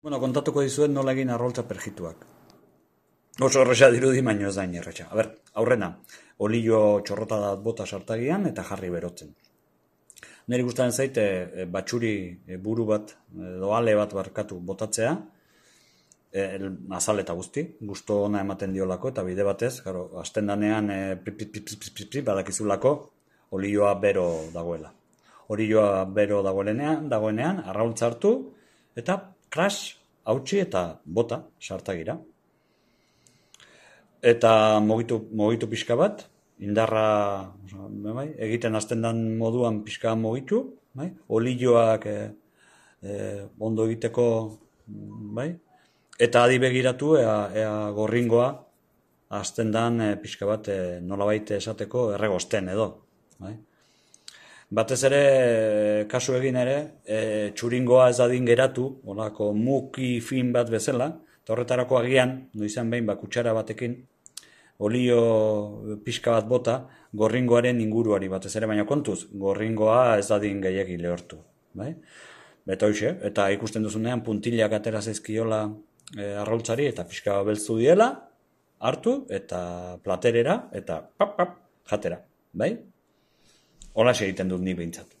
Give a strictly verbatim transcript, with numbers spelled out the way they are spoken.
Bueno, kontatuko dizuet nola egin arroltza perjituak. Oso erresa dirudi, baino ez da inerretxa. A ber, aurrena, olio txorrota dat bota sartagian eta jarri berotzen. Neri gustatzen zait, e, batxuri e, buru bat, edo ale bat barkatu botatzea, e, azal eta guzti, gusto ona ematen diolako, eta bide batez, garo, hasten danean e, badakizulako olioa bero dagoela. Olioa bero dagoenean, dagoenean arraultza hartu, eta kras, hautsi eta bota sartagira. Eta mogitu, mogitu pixka bat, indarra bai, egiten hasten den moduan pixka mogitu, bai, olioak e, e, ondo egiteko, bai, eta adi begiratu ea, ea gorringoa hasten den e, pixka bat e, nolabait esateko erregosten edo, bai. Batez ere, kasu egin ere, e, txuringoa ez dadin geratu, olako muki fin bat bezala, eta horretarako agian, noizan behin, ba, kutsara batekin, olio pixka bat bota, gorringoaren inguruari batez ere, baina kontuz, gorringoa ez dadin gehiagi lehortu. Bai? Eta hoxe, eta ikusten duzunean puntilak atera zaizkiola e, arraultzari, eta pixka beltzu diela, hartu, eta platerera, eta pap, pap, jatera. Bai? Hola egiten dut ni behintzat.